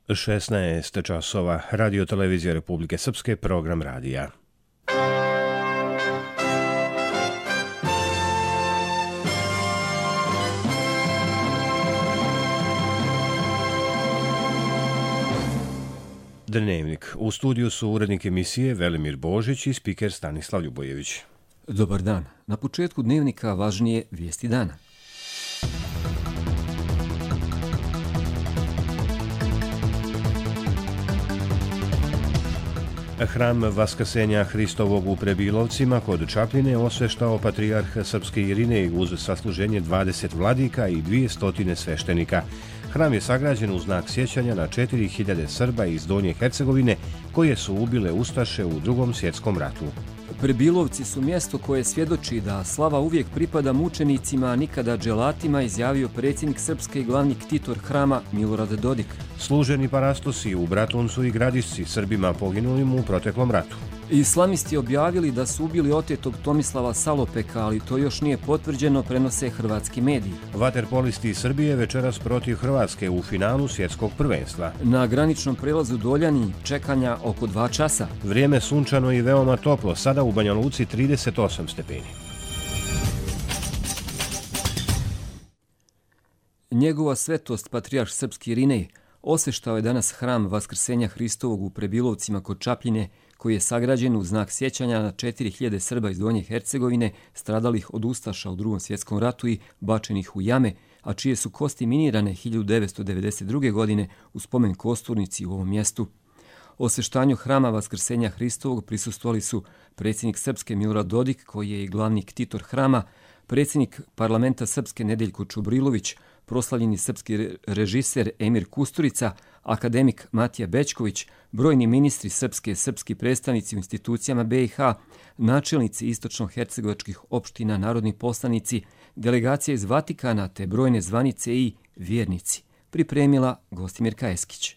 16 časova, Radio Televizija Republike Srpske, program radija. Dnevnik. U studiju su urednik emisije Velimir Božić i spiker Stanislav Ljubojević. Dobar dan. Na početku dnevnika važnije vijesti dana. Hram Vaskrsenja Hristovog u Prebilovcima kod Čapljine osveštao patrijarh srpski Irinej uz sasluženje 20 vladika i 200 sveštenika. Hram je sagrađen u znak sjećanja na 4000 Srba iz Donje Hercegovine koje su ubile ustaše u Drugom svjetskom ratu. Prebilovci su mjesto koje svjedoči da slava uvijek pripada mučenicima, a nikada dželatima, izjavio predsjednik Srpske i glavni ktitor Hrama Milorad Dodik. Služeni parastosi u Bratuncu i Gradišci Srbima poginulim u proteklom ratu. Islamisti objavili da su ubili otetog Tomislava Salopeka, ali to još nije potvrđeno, prenose hrvatski mediji. Vaterpolisti Srbije večeras protiv Hrvatske u finalu svjetskog prvenstva. Na graničnom prelazu Doljani čekanja oko 2 časa. Vrijeme sunčano i veoma toplo, sada u Banja Luci 38 stepeni. Njegova svetost, patrijarh srpski Irinej, osveštao je danas hram Vaskrsenja Hristovog u Prebilovcima kod Čapljine, koji je sagrađen u znak sjećanja na 4000 Srba iz Donje Hercegovine stradalih od ustaša u Drugom svjetskom ratu i bačenih u jame, a čije su kosti minirane 1992. godine u spomen kosturnici u ovom mjestu. Osveštanju hrama Vaskrsenja Hristovog prisustvovali su predsjednik Srpske Milorad Dodik, koji je i glavni ktitor hrama, predsjednik parlamenta Srpske Nedeljko Čubrilović, proslavljeni srpski režiser Emir Kusturica, akademik Matija Bećković, brojni ministri srpski predstavnici u institucijama BiH, načelnici istočno-hercegovačkih opština, narodni poslanici, delegacija iz Vatikana te brojne zvanice i vjernici. Pripremila Gostimir Kajeskić.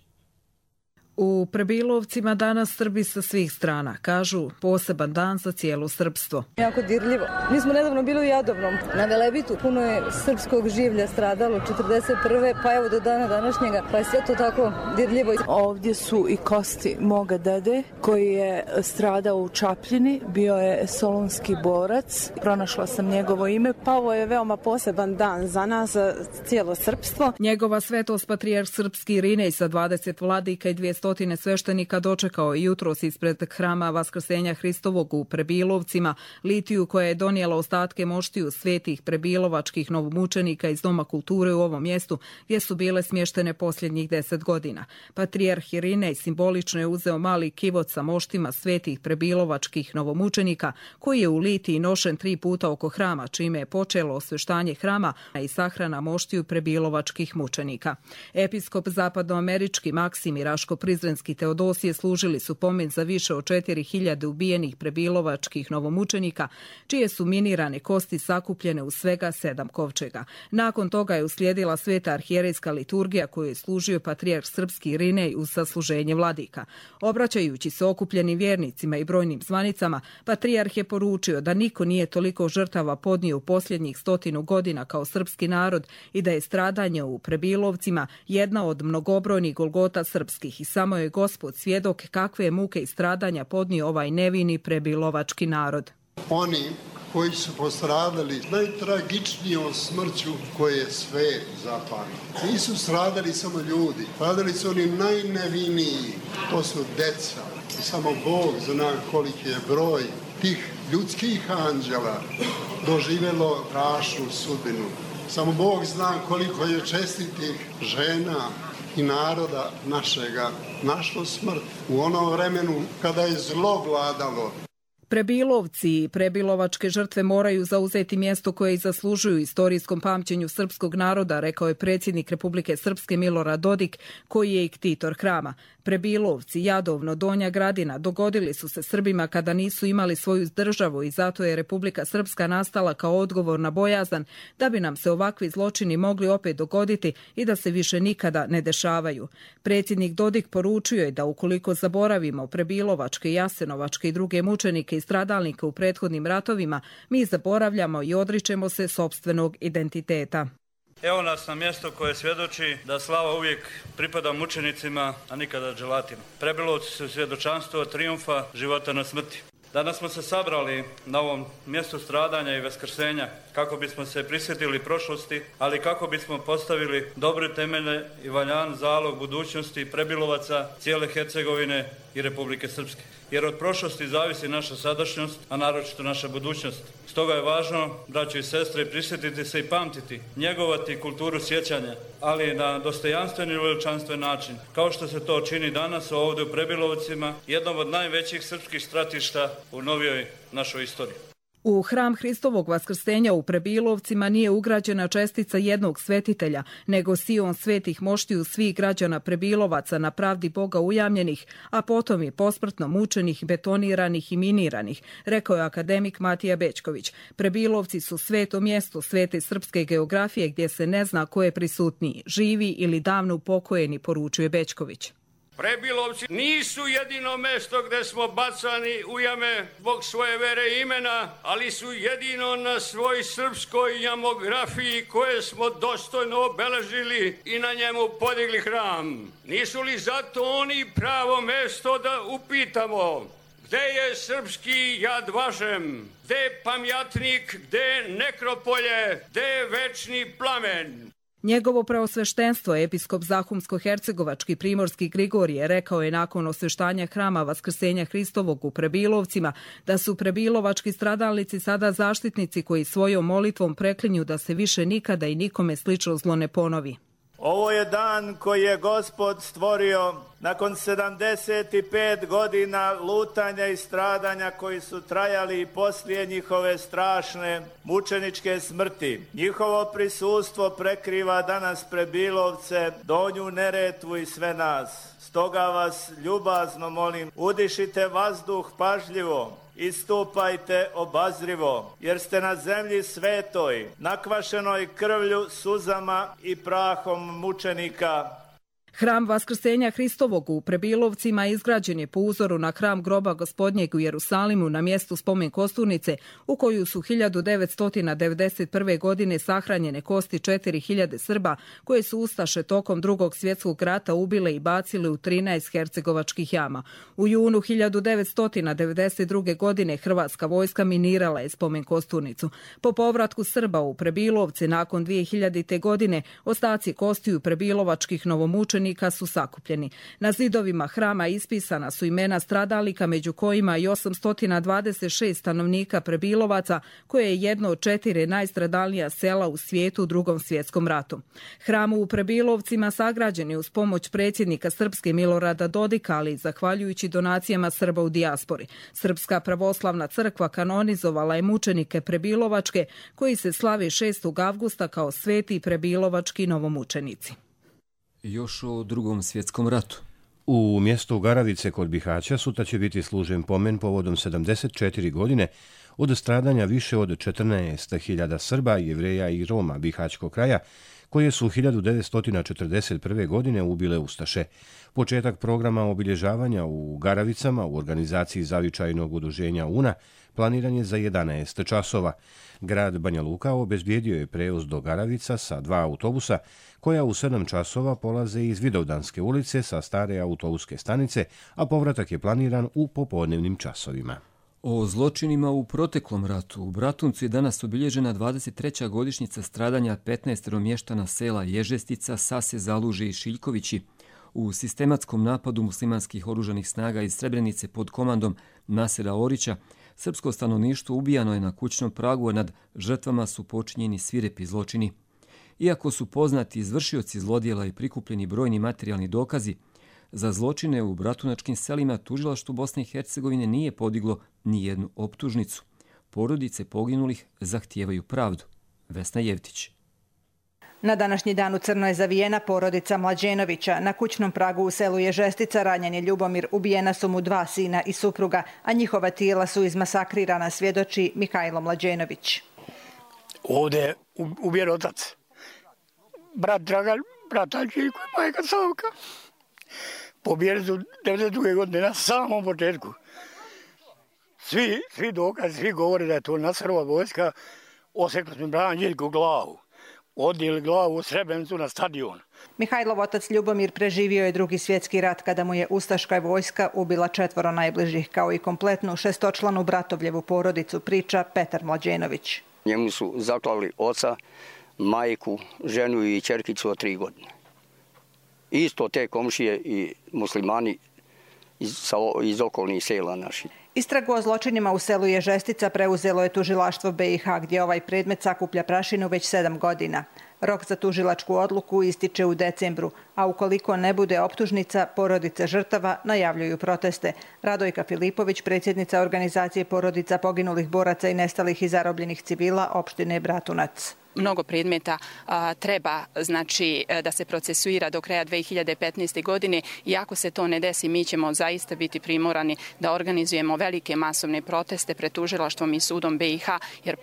U Prebilovcima danas Srbi sa svih strana, kažu poseban dan za cijelo srpstvo. Jako dirljivo. Mi smo nedavno bili u Jadovnom, na Velebitu. Puno je srpskog življa stradalo 41. pa evo do dana današnjega, pa je sve to tako dirljivo. Ovdje su i kosti moga dede koji je stradao u Čapljini, bio je solunski borac. Pronašla sam njegovo ime, pa ovo je veoma poseban dan za nas, za cijelo srpstvo. Njegova svetost patrijarh srpski Irinej sa 20 vladika i 200 sveštenika dočekao je jutros ispred hrama Vaskrsenja Hristovog u Prebilovcima, litiju koja je donijela ostatke moštiju svetih prebilovačkih novomučenika iz Doma kulture u ovom mjestu gdje su bile smještene posljednjih 10 godina. Patrijarh Irinej simbolično je uzeo mali kivot sa moštima svetih prebilovačkih novomučenika koji je u litiji nošen 3 puta oko hrama, čime je počelo osveštanje hrama i sahrana moštiju prebilovačkih mučenika. Episkop zapadnoamerički Maksimir Raško Prizrenski Teodosije služili su pomen za više od 4000 ubijenih prebilovačkih novomučenika, čije su minirane kosti sakupljene u svega 7 kovčega. Nakon toga je uslijedila sveta arhijerejska liturgija koju je služio patrijarh srpski Irinej uz sasluženje vladika. Obraćajući se okupljenim vjernicima i brojnim zvanicama, patrijarh je poručio da niko nije toliko žrtava podnio u posljednjih 100 godina kao srpski narod i da je stradanje u Prebilovcima jedna od mnogobrojnih golgota srpskih i samo je Gospod svjedok kakve muke i stradanja podnio ovaj nevini prebilovački narod. Oni koji su postradali najtragičnijom smrću koje je svet zapamtio. Nisu stradali samo ljudi, stradali su oni najneviniji, to su deca. I samo Bog zna koliki je broj tih ljudskih anđela doživjelo strašnu sudbinu. Samo Bog zna koliko je čestitih žena i naroda našega našlo smrt u onom vremenu kada je zlo vladalo. Prebilovci i prebilovačke žrtve moraju zauzeti mjesto koje i zaslužuju istorijskom pamćenju srpskog naroda, rekao je predsjednik Republike Srpske Milorad Dodik, koji je i ktitor hrama. Prebilovci, Jadovno, Donja Gradina dogodili su se Srbima kada nisu imali svoju državu i zato je Republika Srpska nastala kao odgovor na bojazan da bi nam se ovakvi zločini mogli opet dogoditi i da se više nikada ne dešavaju. Predsjednik Dodik poručio je da ukoliko zaboravimo prebilovačke, jasenovačke i druge mučenike i stradalnike u prethodnim ratovima, mi zaboravljamo i odričemo se sopstvenog identiteta. Evo nas na mjesto koje svjedoči da slava uvijek pripada mučenicima, a nikada dželatima. Prebilovci su svjedočanstvo trijumfa života na smrti. Danas smo se sabrali na ovom mjestu stradanja i vaskrsenja kako bismo se prisjetili prošlosti, ali kako bismo postavili dobre temelje i valjan zalog budućnosti Prebilovaca, cijele Hercegovine i Republike Srpske. Jer od prošlosti zavisi naša sadašnjost, a naročito naša budućnost. Stoga je važno, braćo i sestre, prisjetiti se i pamtiti, njegovati kulturu sjećanja, ali na dostojanstven i veličanstven način, kao što se to čini danas ovdje u Prebilovcima, jednom od najvećih srpskih stratišta u novijoj našoj istoriji. U hram Hristovog vaskrsenja u Prebilovcima nije ugrađena čestica jednog svetitelja, nego sion svetih moštiju svih građana Prebilovaca na pravdi Boga ujamljenih, a potom i posmrtno mučenih, betoniranih i miniranih, rekao je akademik Matija Bećković. Prebilovci su sveto mjesto svete srpske geografije gdje se ne zna ko je prisutniji, živi ili davno upokojeni, poručuje Bećković. Prebilovci nisu jedino mesto gdje smo bacani u jame zbog svoje vere i imena, ali su jedino na svoj srpskoj jamografiji koje smo dostojno obeležili i na njemu podigli hram. Nisu li zato oni pravo mesto da upitamo gdje je srpski Jad Vašem, gdje je pamjatnik, gdje je nekropolje, gdje je večni plamen? Njegovo preosveštenstvo, episkop Zahumsko-hercegovački Primorski Grigorije, rekao je nakon osveštanja hrama Vaskrsenja Hristovog u Prebilovcima da su prebilovački stradalnici sada zaštitnici koji svojom molitvom preklinju da se više nikada i nikome slično zlo ne ponovi. Ovo je dan koji je Gospod stvorio nakon 75 godina lutanja i stradanja koji su trajali i poslije njihove strašne mučeničke smrti. Njihovo prisustvo prekriva danas Prebilovce, Donju Neretvu i sve nas. Stoga vas ljubazno molim, udišite vazduh pažljivo, istupajte obazrivo, jer ste na zemlji svetoj, nakvašenoj krvlju, suzama i prahom mučenika. Hram Vaskrsenja Hristovog u Prebilovcima izgrađen je po uzoru na hram groba Gospodnjeg u Jerusalimu na mjestu spomen kosturnice u koju su 1991. godine sahranjene kosti 4000 Srba koje su ustaše tokom Drugog svjetskog rata ubile i bacile u 13 hercegovačkih jama. U junu 1992. godine Hrvatska vojska minirala je spomen kosturnicu. Po povratku Srba u Prebilovce nakon 2000. godine ostaci kostiju prebilovačkih novomučenika su sakupljeni. Na zidovima hrama ispisana su imena stradalnika, među kojima i 826 stanovnika Prebilovaca, koje je jedno od 4 najstradalnija sela u svijetu u Drugom svjetskom ratu. Hram u Prebilovcima sagrađen je uz pomoć predsjednika Srpske Milorada Dodika, ali zahvaljujući donacijama Srba u dijaspori. Srpska pravoslavna crkva kanonizovala je mučenike Prebilovačke, koji se slavi 6. avgusta kao sveti prebilovački novomučenici. Još o Drugom svjetskom ratu. U mjestu Garavice kod Bihaća sutra će biti služen pomen povodom 74 godine od stradanja više od 14.000 Srba, Jevreja i Roma Bihaćkog kraja, koje su 1941. godine ubile ustaše. Početak programa obilježavanja u Garavicama u organizaciji zavičajnog udruženja UNA planiran je za 11 časova. Grad Banja Luka obezbijedio je prevoz do Garavica sa 2 autobusa koja u 7 časova polaze iz Vidovdanske ulice sa stare autobuske stanice, a povratak je planiran u popodnevnim časovima. O zločinima u proteklom ratu. U Bratuncu je danas obilježena 23. godišnjica stradanja 15 mještana sela Ježestica, Sase, Zaluže i Šiljkovići u sistematskom napadu muslimanskih oružanih snaga iz Srebrenice pod komandom Nasera Orića. Srpsko stanovništvo ubijano je na kućnom pragu, a nad žrtvama su počinjeni svirepi zločini. Iako su poznati izvršioci zlodjela i prikupljeni brojni materijalni dokazi, za zločine u bratunačkim selima tužilaštvo Bosne i Hercegovine nije podiglo ni jednu optužnicu. Porodice poginulih zahtijevaju pravdu. Vesna Jevtić. Na današnji dan u crno je zavijena porodica Mlađenovića. Na kućnom pragu u selu Ježestica ranjen je Ljubomir, ubijena su mu 2 sina i supruga, a njihova tijela su izmasakrirana, svjedoči Mihajlo Mlađenović. Ovdje je ubijen otac, brat Dragan, brat Anđeljko i majka Savka. Pobijeni su 92. godine na samom početku. Svi dokazi, svi govore da je to Nasrova vojska, osekli smo brat Anđeljko glavu. odnijeli glavu u Srebrenicu na stadion. Mihajlov otac Ljubomir preživio je Drugi svjetski rat kada mu je ustaška vojska ubila 4 najbližih, kao i kompletnu 6-članu bratovljevu porodicu, priča Petar Mlađenović. Njemu su zaklali oca, majku, ženu i ćerkicu od 3 godine. Isto te komšije i muslimani iz okolnih sela naših. Istragu o zločinima u selu Ježestica preuzelo je tužilaštvo BiH, gdje ovaj predmet sakuplja prašinu već 7 godina. Rok za tužilačku odluku ističe u decembru, a ukoliko ne bude optužnica, porodice žrtava najavljuju proteste. Radojka Filipović, predsjednica organizacije porodica poginulih boraca i nestalih i zarobljenih civila opštine Bratunac. Mnogo predmeta treba da se procesuira do kraja 2015. godine i ako se to ne desi, mi ćemo zaista biti primorani da organizujemo velike masovne proteste pred tužilaštvom i sudom BiH, jer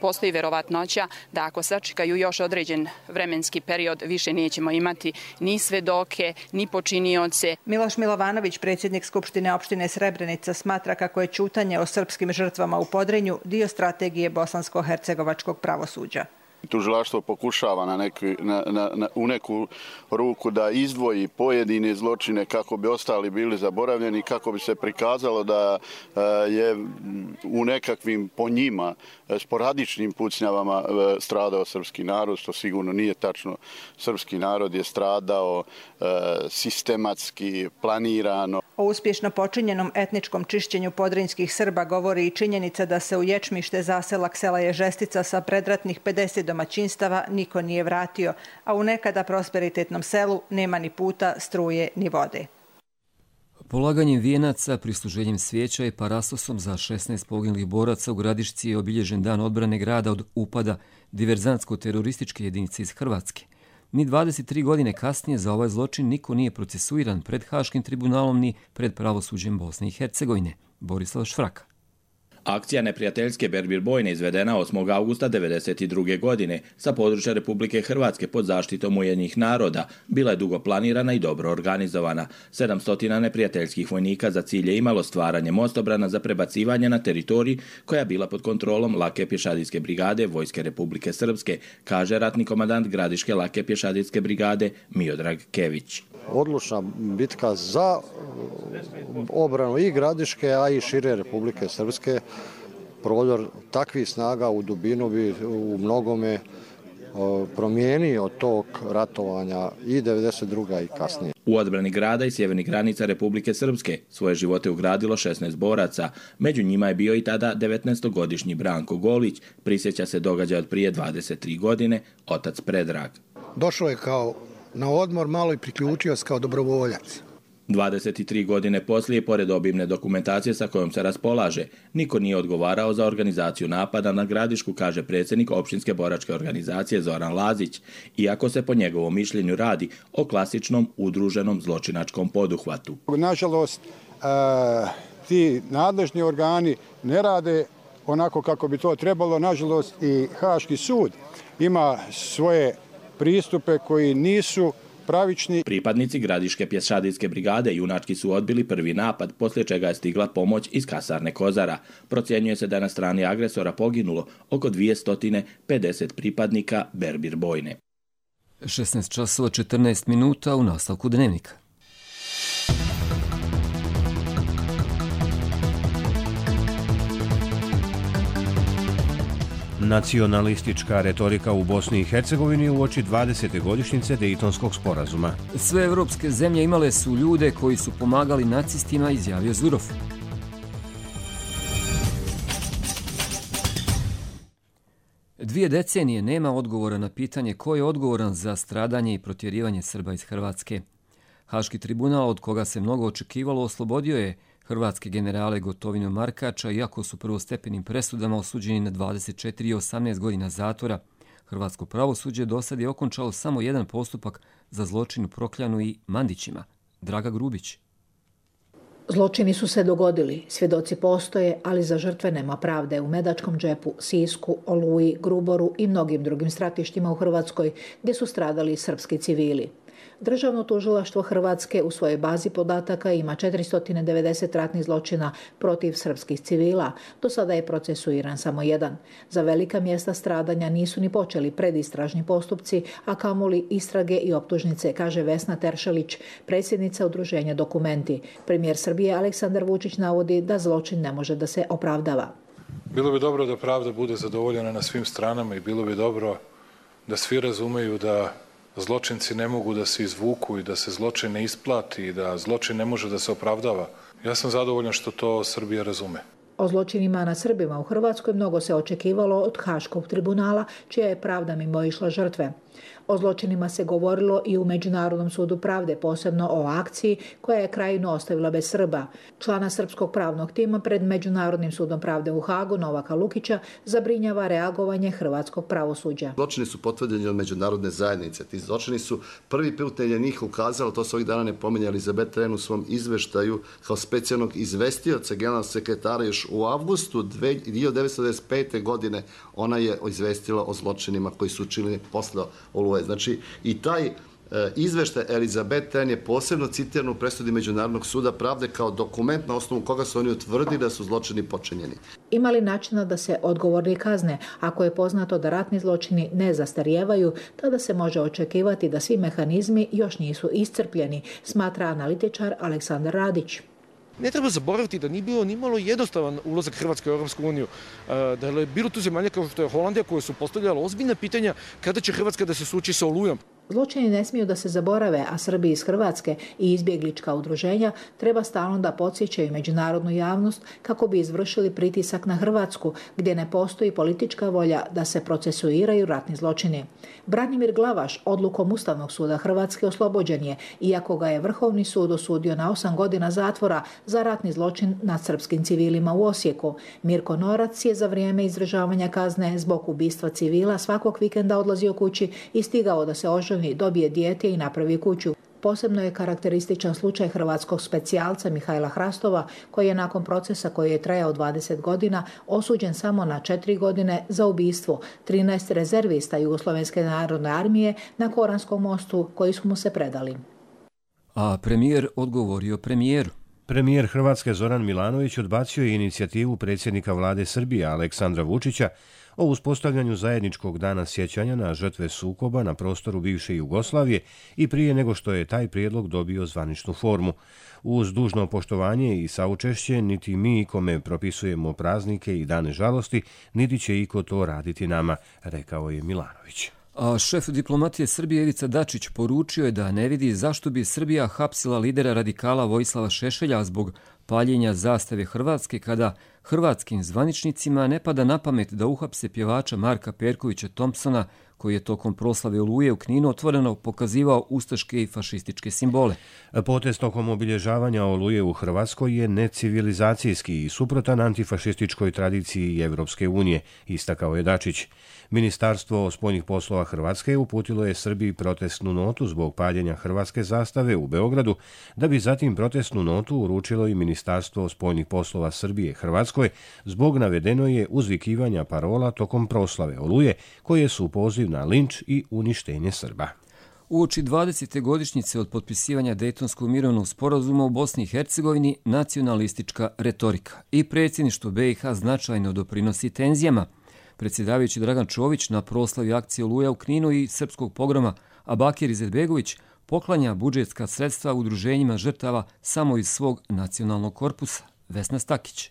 postoji verovatnoća da ako sačekaju još određen vremenski period, više nećemo imati ni svedoke, ni počinioce. Miloš Milovanović, predsjednik Skupštine opštine Srebrenica, smatra kako je ćutanje o srpskim žrtvama u Podrinju dio strategije bosansko-hercegovačkog pravosuđa. Tužilaštvo pokušava u neku ruku da izdvoji pojedine zločine kako bi ostali bili zaboravljeni, kako bi se prikazalo da je u nekakvim po njima sporadičnim pucnjavama stradao srpski narod, što sigurno nije tačno. Srpski narod je stradao sistematski, planirano. O uspješno počinjenom etničkom čišćenju podrinjskih Srba govori i činjenica da se u Ječmište, zaselak sela Ježestica, sa predratnih 50 domaćinstava niko nije vratio, a u nekada prosperitetnom selu nema ni puta, struje ni vode. Polaganjem vijenaca, prisluženjem svijeća i parastosom za 16 poginulih boraca u Gradišci je obilježen dan odbrane grada od upada diverzantsko-terorističke jedinice iz Hrvatske. Ni 23 godine kasnije za ovaj zločin niko nije procesuiran pred Haškim tribunalom ni pred pravosuđem Bosne i Hercegovine. Borislav Švraka. Akcija neprijateljske Berbir bojne izvedena 8. augusta 1992. godine sa područja Republike Hrvatske pod zaštitom Ujedinjenih naroda bila je dugo planirana i dobro organizovana. 700 neprijateljskih vojnika za cilj je imalo stvaranje mostobrana za prebacivanje na teritoriji koja je bila pod kontrolom Lake pješadijske brigade Vojske Republike Srpske, kaže ratni komandant Gradiške Lake pješadijske brigade Miodrag Kević. Odlučna bitka za obranu i Gradiške, a i šire Republike Srpske. Prodor takvih snaga u dubinu bi u mnogome promijenio tog ratovanja i 92. i kasnije. U odbrani grada i sjevernih granica Republike Srpske svoje živote ugradilo 16 boraca. Među njima je bio i tada 19-godišnji Branko Golić, prisjeća se događaja od prije 23 godine, otac Predrag. Došao je kao na odmor, malo i priključio se kao dobrovoljac. 23 godine poslije, pored obimne dokumentacije sa kojom se raspolaže, niko nije odgovarao za organizaciju napada na Gradišku, kaže predsjednik opštinske boračke organizacije Zoran Lazić, iako se po njegovom mišljenju radi o klasičnom udruženom zločinačkom poduhvatu. Nažalost, ti nadležni organi ne rade onako kako bi to trebalo. Nažalost, i Haški sud ima svoje pristupe koji nisu pravični. Pripadnici Gradiške pješadijske brigade junački su odbili prvi napad, poslije čega je stigla pomoć iz kasarne Kozara. Procjenjuje se da je na strani agresora poginulo oko 250 pripadnika Berbir bojne. 16 časova 14 minuta u nastavku dnevnika. Nacionalistička retorika u Bosni i Hercegovini uoči 20. godišnjice Dejtonskog sporazuma. Sve evropske zemlje imale su ljude koji su pomagali nacistima, izjavio Zurov. Dvije decenije nema odgovora na pitanje ko je odgovoran za stradanje i protjerivanje Srba iz Hrvatske. Haški tribunal, od koga se mnogo očekivalo, oslobodio je hrvatske generale Gotovinu Markača, iako su prvostepenim presudama osuđeni na 24 i 18 godina zatvora. Hrvatsko pravosuđe do sad je okončalo samo jedan postupak za zločin u Prokljanu i Mandićima. Draga Grubić. Zločini su se dogodili, svjedoci postoje, ali za žrtve nema pravde u Medačkom džepu, Sisku, Oluji, Gruboru i mnogim drugim stratištima u Hrvatskoj gdje su stradali srpski civili. Državno tužilaštvo Hrvatske u svojoj bazi podataka ima 490 ratnih zločina protiv srpskih civila. Do sada je procesuiran samo jedan. Za velika mjesta stradanja nisu ni počeli predistražni postupci, a kamoli istrage i optužnice, kaže Vesna Teršelić, predsjednica udruženja Dokumenti. Premijer Srbije Aleksandar Vučić navodi da zločin ne može da se opravdava. Bilo bi dobro da pravda bude zadovoljena na svim stranama i bilo bi dobro da svi razumeju da zločinci ne mogu da se izvuku i da se zločin ne isplati i da zločin ne može da se opravdava. Ja sam zadovoljan što to Srbija razume. O zločinima nad Srbima u Hrvatskoj mnogo se očekivalo od Haškog tribunala, čija je pravda mimoišla žrtve. O zločinima se govorilo i u Međunarodnom sudu pravde, posebno o akciji koja je Krajinu ostavila bez Srba. Člana srpskog pravnog tima pred Međunarodnim sudom pravde u Hagu, Novaka Lukića, zabrinjava reagovanje hrvatskog pravosuđa. Zločini su potvrđeni od međunarodne zajednice. Ti zločini su prvi put je njih ukazalo, to se ovih dana ne pominja Elizabeth Ren u svom izveštaju kao specijalnog izvestioca generalnog sekretara još u avgustu 1995. godine. Ona je izvestila o zločinima koji su učinili posle Oluje. Znači i taj izveštaj Elizabeth Ren je posebno citiran u presudi Međunarodnog suda pravde kao dokument na osnovu koga su oni utvrdili da su zločini počinjeni. Ima li načina da se odgovorni kazne? Ako je poznato da ratni zločini ne zastarijevaju, tada se može očekivati da svi mehanizmi još nisu iscrpljeni, smatra analitičar Aleksandar Radić. Ne treba zaboraviti da nije bilo nimalo jednostavan ulazak Hrvatske u Europsku uniju. Da je bilo tu zemalja kao što je Holandija koje su postavljale ozbiljna pitanja kada će Hrvatska da se suoči sa Olujom. Zločini ne smiju da se zaborave, a Srbi iz Hrvatske i izbjeglička udruženja treba stalno da podsjećaju međunarodnu javnost kako bi izvršili pritisak na Hrvatsku, gdje ne postoji politička volja da se procesuiraju ratni zločini. Branimir Glavaš odlukom Ustavnog suda Hrvatske oslobođen je, iako ga je Vrhovni sud osudio na 8 godina zatvora za ratni zločin nad srpskim civilima u Osijeku. Mirko Norac je za vrijeme izdržavanja kazne zbog ubistva civila svakog vikenda odlazio kući i stigao da se oženi, dobije dijete i napravi kuću. Posebno je karakterističan slučaj hrvatskog specijalca Mihajla Hrastova, koji je nakon procesa koji je trajao 20 godina osuđen samo na 4 godine za ubistvo 13 rezervista Jugoslovenske narodne armije na Koranskom mostu koji su mu se predali. A premijer odgovorio premijeru. Premijer Hrvatske Zoran Milanović odbacio je inicijativu predsjednika vlade Srbije Aleksandra Vučića o uspostavljanju zajedničkog dana sjećanja na žrtve sukoba na prostoru bivše Jugoslavije i prije nego što je taj prijedlog dobio zvaničnu formu. Uz dužno poštovanje i saučešće, niti mi ikome propisujemo praznike i dane žalosti, niti će iko to raditi nama, rekao je Milanović. A šef diplomatije Srbije Ivica Dačić poručio je da ne vidi zašto bi Srbija hapsila lidera radikala Vojislava Šešelja zbog paljenja zastave Hrvatske kada hrvatskim zvaničnicima ne pada na pamet da uhapse pjevača Marka Perkovića Thompsona, koji je tokom proslave Oluje u Kninu otvoreno pokazivao ustaške i fašističke simbole. Potez tokom obilježavanja Oluje u Hrvatskoj je necivilizacijski i suprotan antifašističkoj tradiciji Evropske unije, istakao je Dačić. Ministarstvo spoljnih poslova Hrvatske uputilo je Srbiji protestnu notu zbog paljenja hrvatske zastave u Beogradu, da bi zatim protestnu notu uručilo i Ministarstvo spoljnih poslova Srbije Hrvatskoj zbog navedeno je uzvikivanja parola tokom proslave Oluje, koje su poziv na linč i uništenje Srba. Uoči 20. godišnjice od potpisivanja Dejtonskog mirovnog sporazuma u Bosni i Hercegovini nacionalistička retorika i predsjedništvo BiH značajno doprinosi tenzijama. Predsjedavajući Dragan Čović na proslavi akcije Oluja u Kninu i srpskog pogroma, a Bakir Izetbegović poklanja budžetska sredstva udruženjima žrtava samo iz svog nacionalnog korpusa. Vesna Stakić.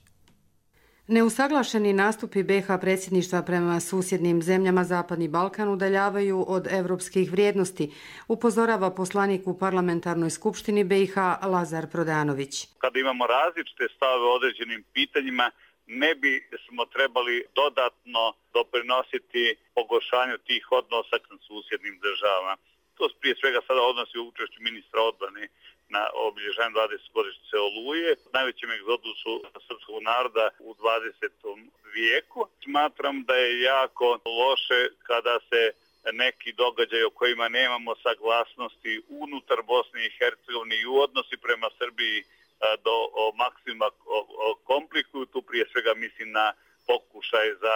Neusaglašeni nastupi BiH predsjedništva prema susjednim zemljama Zapadni Balkan udaljavaju od evropskih vrijednosti, upozorava poslanik u parlamentarnoj skupštini BiH Lazar Prodanović. Kada imamo različite stavove o određenim pitanjima, ne bi smo trebali dodatno doprinositi pogoršanju tih odnosa sa susjednim državama. To prije svega sada odnosi u učešću ministra odbrane na obilježavanju 20. godišnjice Oluje, najvećem egzodusu srpskog naroda u 20. vijeku. Smatram da je jako loše kada se neki događaj o kojima nemamo saglasnosti unutar Bosne i Hercegovine i u odnosi prema Srbiji do maksimuma komplikuju. Tu prije svega mislim na pokušaj za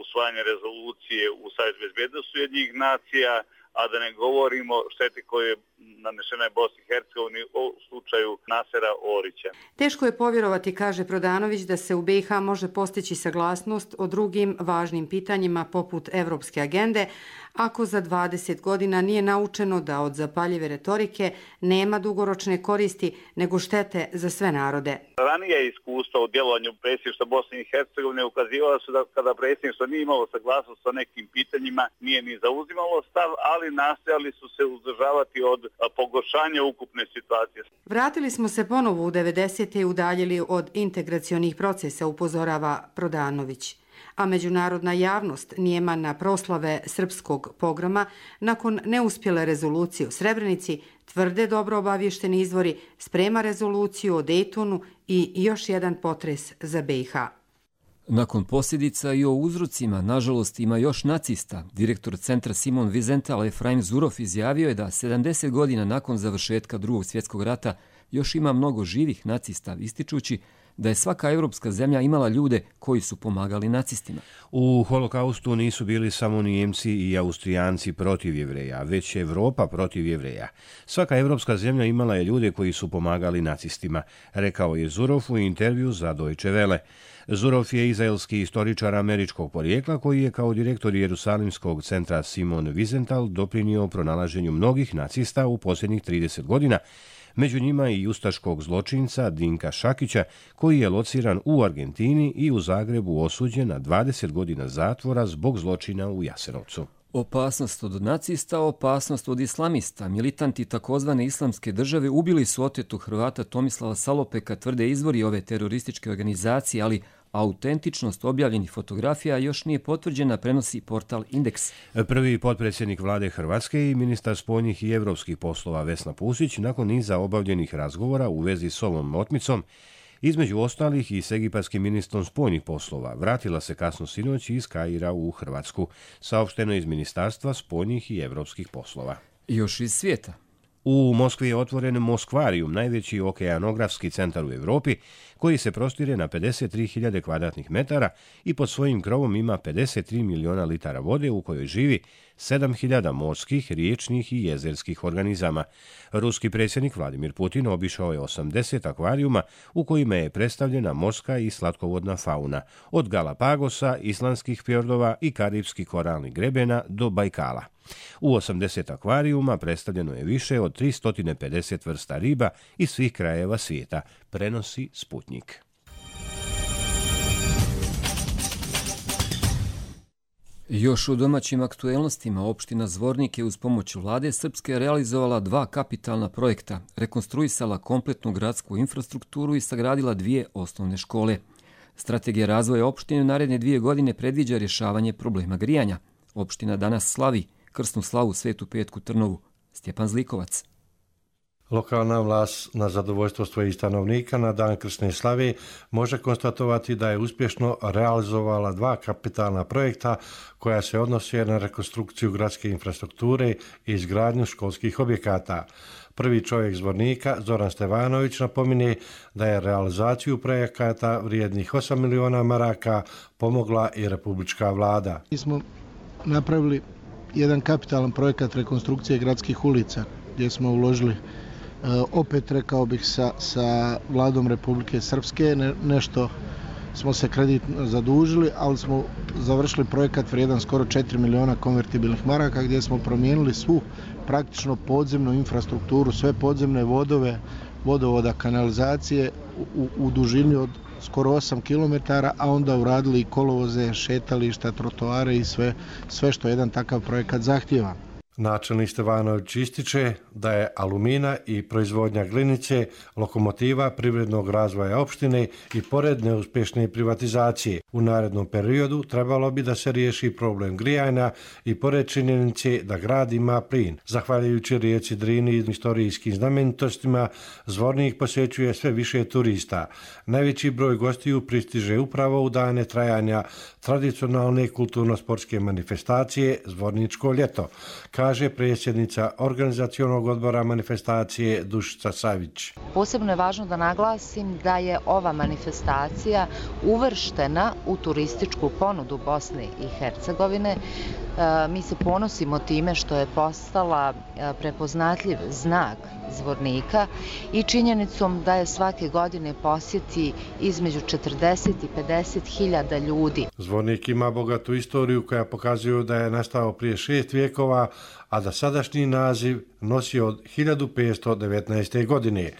usvajanje rezolucije u Savjetu bezbednosti Ujedinjenih nacija, a da ne govorimo šteti koje je nanešena je Bosni i Hercegovini u slučaju Nasera Orića. Teško je povjerovati, kaže Prodanović, da se u BiH može postići saglasnost o drugim važnim pitanjima poput evropske agende, ako za 20 godina nije naučeno da od zapaljive retorike nema dugoročne koristi nego štete za sve narode. Ranije iskustva u djelovanju predsjedništva Bosne i Hercegovine ukazivala su da kada predsjedništvo nije imalo saglasnost sa nekim pitanjima, nije ni zauzimalo stav, ali nastojali su se uzdržavati od pogoršanja ukupne situacije. Vratili smo se ponovo u 90. i udaljili od integracionih procesa, upozorava Prodanović. A međunarodna javnost nijema na proslave srpskog pogroma nakon neuspjele rezolucije u Srebrenici, tvrde dobro obavješteni izvori, sprema rezoluciju o Dejtonu i još jedan potres za BiH. Nakon posljedica i o uzrocima, nažalost, ima još nacista. Direktor centra Simon Wiesenthal Efraim Zurov izjavio je da 70 godina nakon završetka Drugog svjetskog rata još ima mnogo živih nacista, ističući da je svaka europska zemlja imala ljude koji su pomagali nacistima. U holokaustu nisu bili samo Nijemci i Austrijanci protiv Jevreja, već Evropa protiv Jevreja. Svaka europska zemlja imala je ljude koji su pomagali nacistima, rekao je Zurov u intervju za Deutsche Welle. Zurov je izraelski istoričar američkog porijekla koji je kao direktor Jerusalimskog centra Simon Wiesenthal doprinio pronalaženju mnogih nacista u posljednjih 30 godina, među njima i ustaškog zločinca Dinka Šakića, koji je lociran u Argentini i u Zagrebu osuđen na 20 godina zatvora zbog zločina u Jasenovcu. Opasnost od nacista, opasnost od islamista. Militanti takozvane islamske države ubili su otetu Hrvata Tomislava Salopeka, tvrde izvori ove terorističke organizacije, ali autentičnost objavljenih fotografija još nije potvrđena, prenosi portal Indeks. Prvi potpredsjednik vlade Hrvatske i ministar spoljnih i evropskih poslova Vesna Pusić nakon niza obavljenih razgovora u vezi s ovom otmicom, između ostalih i s egipatskim ministrom spoljnih poslova, vratila se kasno sinoć iz Kaira u Hrvatsku, saopšteno iz Ministarstva spoljnih i evropskih poslova. Još iz svijeta. U Moskvi je otvoren Moskvarijum, najveći okeanografski centar u Europi, koji se prostire na 53.000 kvadratnih metara i pod svojim krovom ima 53 miliona litara vode u kojoj živi 7.000 morskih, riječnih i jezerskih organizama. Ruski predsjednik Vladimir Putin obišao je 80 akvarijuma u kojima je predstavljena morska i slatkovodna fauna, od Galapagosa, islandskih fjordova i karipskih koralnih grebena do Bajkala. U 80 akvarijuma predstavljeno je više od 350 vrsta riba iz svih krajeva svijeta, prenosi Sputnik. Još u domaćim aktuelnostima opština Zvornik je uz pomoć vlade Srpske realizovala 2 kapitalna projekta, rekonstruisala kompletnu gradsku infrastrukturu i sagradila 2 osnovne škole. Strategija razvoja opštine u naredne 2 godine predviđa rješavanje problema grijanja. Opština danas slavi krsnu slavu Svetu Petku Trnovu. Stjepan Zlikovac. Lokalna vlast na zadovoljstvo svojih stanovnika na dan krsne slave može konstatovati da je uspješno realizovala 2 kapitalna projekta koja se odnose na rekonstrukciju gradske infrastrukture i izgradnju školskih objekata. Prvi čovjek Zvornika, Zoran Stevanović, napominje da je realizaciju projekata vrijednih 8 miliona maraka pomogla i republička vlada. Mi smo napravili jedan kapitalan projekat rekonstrukcije gradskih ulica gdje smo uložili opet, rekao bih, sa vladom Republike Srpske. Nešto smo se kreditno zadužili, ali smo završili projekat vrijedan skoro 4 miliona konvertibilnih maraka gdje smo promijenili svu praktično podzemnu infrastrukturu, sve podzemne vodove, vodovoda, kanalizacije u dužini od skoro 8 km, a onda uradili i kolovoze, šetališta, trotoare i sve što jedan takav projekat zahtijeva. Načelnik Stevanović ističe da je alumina i proizvodnja glinice lokomotiva privrednog razvoja opštine i pored neuspješne privatizacije. U narednom periodu trebalo bi da se riješi problem grijanja i pored činjenice da grad ima plin. Zahvaljujući rijeci Drini i istorijskim znamenitostima, Zvornik posjećuje sve više turista. Najveći broj gostiju pristiže upravo u dane trajanja tradicionalne kulturno-sportske manifestacije Zvorničko ljeto, kaže predsjednica organizacionog odbora manifestacije Dušica Savić. Posebno je važno da naglasim da je ova manifestacija uvrštena u turističku ponudu Bosne i Hercegovine Mi se ponosimo time što je postala prepoznatljiv znak Zvornika i činjenicom da je svake godine posjeti između 40 i 50 hiljada ljudi. Zvornik ima bogatu istoriju koja pokazuje da je nastao prije 6 vijekova, a da sadašnji naziv nosi od 1519. godine.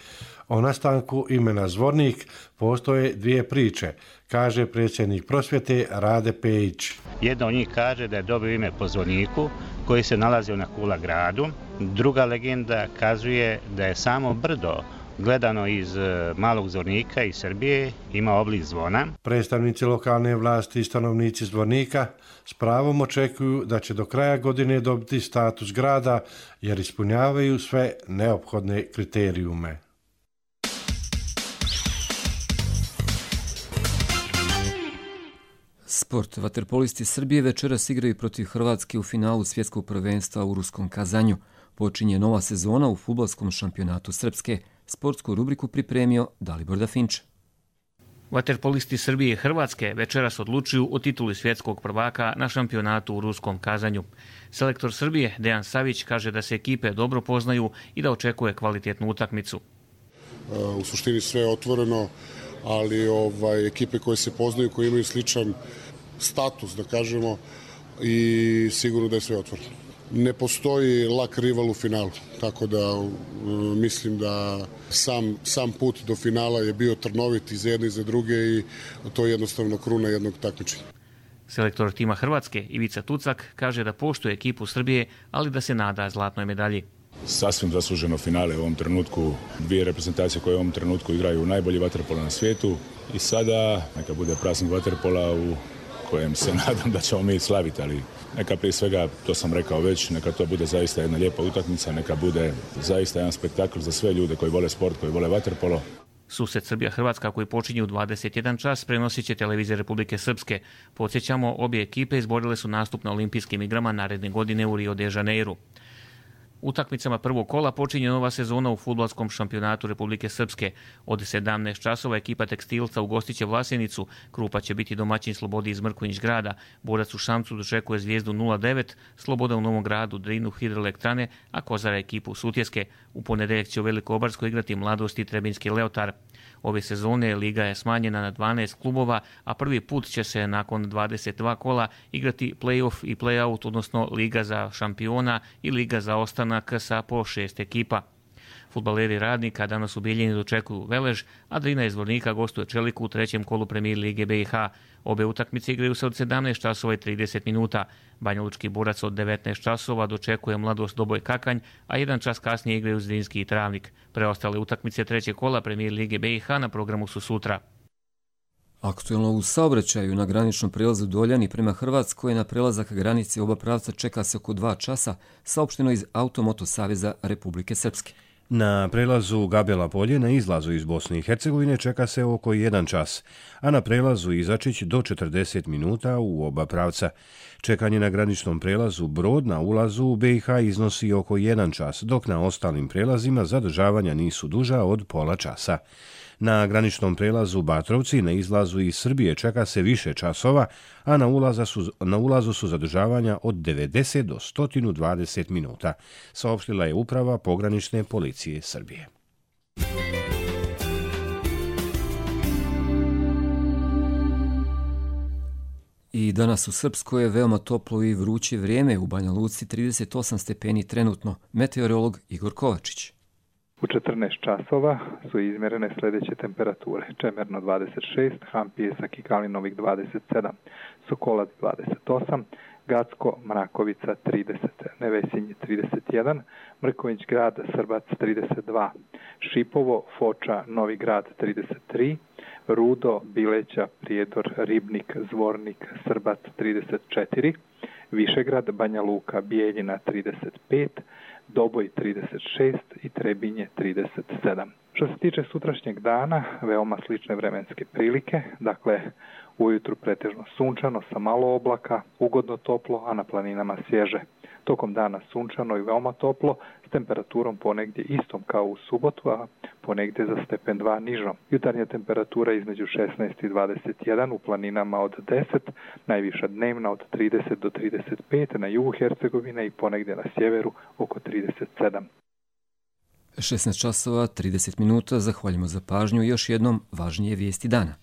O nastanku imena Zvornik postoje dvije priče, kaže predsjednik prosvjete Rade Pejić. Jedna od njih kaže da je dobio ime po zvorniku koji se nalazio na Kula gradu. Druga legenda kazuje da je samo brdo gledano iz Malog Zvornika iz Srbije ima oblik zvona. Predstavnici lokalne vlasti i stanovnici Zvornika s pravom očekuju da će do kraja godine dobiti status grada jer ispunjavaju sve neophodne kriterijume. Sport. Vaterpolisti Srbije večeras igraju protiv Hrvatske u finalu svjetskog prvenstva u Ruskom Kazanju. Počinje nova sezona u fudbalskom šampionatu Srpske. Sportsku rubriku pripremio Dalibor Dafinč. Vaterpolisti Srbije i Hrvatske večeras odlučuju o tituli svjetskog prvaka na šampionatu u Ruskom Kazanju. Selektor Srbije Dejan Savić kaže da se ekipe dobro poznaju i da očekuje kvalitetnu utakmicu. U suštini sve je otvoreno, ali ekipe koje se poznaju, koje imaju sličan status, da kažemo, i sigurno da je sve otvoreno. Ne postoji lak rival u finalu, tako da mislim da sam put do finala je bio trnovit i za jedne i za druge i to je jednostavno kruna jednog takmičenja. Selektor tima Hrvatske Ivica Tucak kaže da poštuje ekipu Srbije, ali da se nada zlatnoj medalji. Sasvim zasluženo finale u ovom trenutku, dvije reprezentacije koje u ovom trenutku igraju najbolji vaterpolo na svijetu i sada neka bude praznik vaterpola u kojem se nadam da ćemo mi slaviti, ali neka prije svega, to sam rekao već, neka to bude zaista jedna lijepa utakmica, neka bude zaista jedan spektakl za sve ljude koji vole sport, koji vole vaterpolo. Susret Srbija-Hrvatska koji počinje u 21 čas prenosit će televizija Republike Srpske. Podsjećamo, obje ekipe izborile su nastup na olimpijskim igrama naredne godine u Rio de Janeiru. Utakmicama prvog kola počinje nova sezona u fudbalskom šampionatu Republike Srpske. Od 17 časova ekipa Tekstilca ugostiće Vlasenicu, Krupa će biti domaćin Slobodi iz Mrkonjić grada, Borac u Šamcu dočekuje Zvijezdu 0-9, Sloboda u Novom gradu Drinu Hidroelektrane, a Kozara ekipu Sutjeske. U ponedeljak će u Velikobarskoj igrati Mladost i Trebinski Leotar. Ove sezone liga je smanjena na 12 klubova, a prvi put će se nakon 22 kola igrati play-off i play-out, odnosno liga za šampiona i liga za ostanak sa po 6 ekipa. Fudbaleri Radnika danas u Bijeljini dočekuju Velež, a Drina iz Zvornika gostuje Čeliku u trećem kolu Premijer lige BiH. Obe utakmice igraju se od 17 časova i 30 minuta. Banjalučki Borac od 19 časova dočekuje Mladost Doboj Kakanj, a jedan čas kasnije igraju Zrinski i Travnik. Preostale utakmice trećeg kola Premijer lige BiH na programu su sutra. Aktuelno u saobraćaju na graničnom prelazu Doljani prema Hrvatskoj na prelazak granice oba pravca čeka se oko 2 časa, saopšteno iz Automoto Saveza Republike Srpske. Na prelazu Gabela polje na izlazu iz Bosne i Hercegovine čeka se oko 1 čas, a na prelazu Izačić do 40 minuta u oba pravca. Čekanje na graničnom prelazu Brod na ulazu u BiH iznosi oko 1 čas, dok na ostalim prelazima zadržavanja nisu duža od pola časa. Na graničnom prelazu Batrovci na izlazu iz Srbije čeka se više časova, a na ulazu su zadržavanja od 90 do 120 minuta, saopštila je uprava pogranične policije Srbije. I danas u Srpskoj je veoma toplo i vruće vrijeme, u Banja Luci 38 stepeni trenutno, meteorolog Igor Kovačić. U 14 časova su izmjerene sljedeće temperature. Čemerno 26, Hampijesak i Kalinovik 27, Sokolac 28, Gacko, Mrakovica 30, Nevesinj 31, Mrkonjić grad, Srbac 32, Šipovo, Foča, Novi grad 33, Rudo, Bileća, Prijedor, Ribnik, Zvornik, Srbac 34, Višegrad, Banja Luka, Bijeljina 35, Doboj 36 i Trebinje 37. Što se tiče sutrašnjeg dana, veoma slične vremenske prilike, dakle ujutru pretežno sunčano sa malo oblaka, ugodno toplo, a na planinama svježe. Tokom dana sunčano i veoma toplo, s temperaturom ponegdje istom kao u subotu, a ponegdje za stepen 2 nižom. Jutarnja temperatura između 16 i 21, u planinama od 10, najviša dnevna od 30 do 35, na jugu Hercegovine i ponegdje na sjeveru oko 37. 16 časova, 30 minuta, zahvaljujemo za pažnju i još jednom važnije vijesti dana.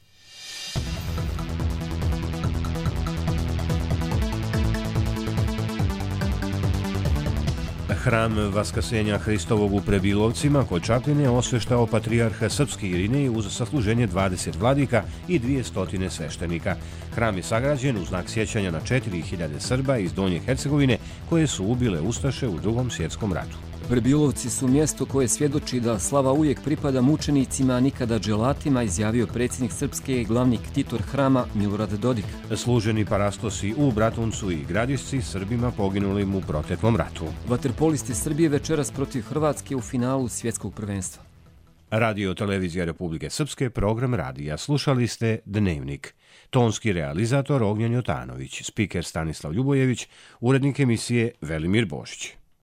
Hram Vaskrsenja Hristovog u Prebilovcima kod Čapljine osveštao patrijarh srpski Irinej uz sasluženje 20 vladika i 200 sveštenika. Hram je sagrađen u znak sjećanja na 4000 Srba iz Donje Hercegovine koje su ubile ustaše u Drugom svjetskom ratu. Prebilovci su mjesto koje svjedoči da slava uvijek pripada mučenicima, a nikada dželatima, izjavio predsjednik Srpske i glavni ktitor hrama Milorad Dodik. Služeni parastosi u Bratuncu i Gradišci Srbima poginulim u proteklom ratu. Vaterpolisti Srbije večeras protiv Hrvatske u finalu svjetskog prvenstva. Radio Televizija Republike Srpske, program radija. Slušali ste Dnevnik. Tonski realizator Ognjen Jotanović, spiker Stanislav Ljubojević, urednik emisije Velimir Božić.